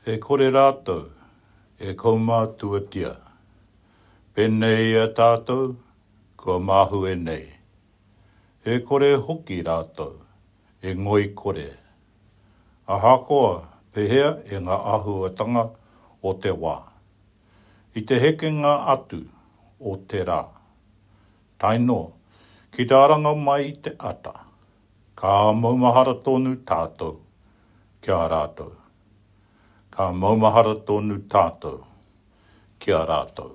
E kore rātou e kaumātuatia, pēnei i a tātou kua mahue nei. E kore hoki rātou e ngoikore, ahakoa pehea e ngā āhuatanga o te wā. I te hekenga atu o te rā, tae noa ki te aranga mai i te ata, ka maumahara tonu tātou ki a rātou. Ka maumahara tonu tātou ki a rātou.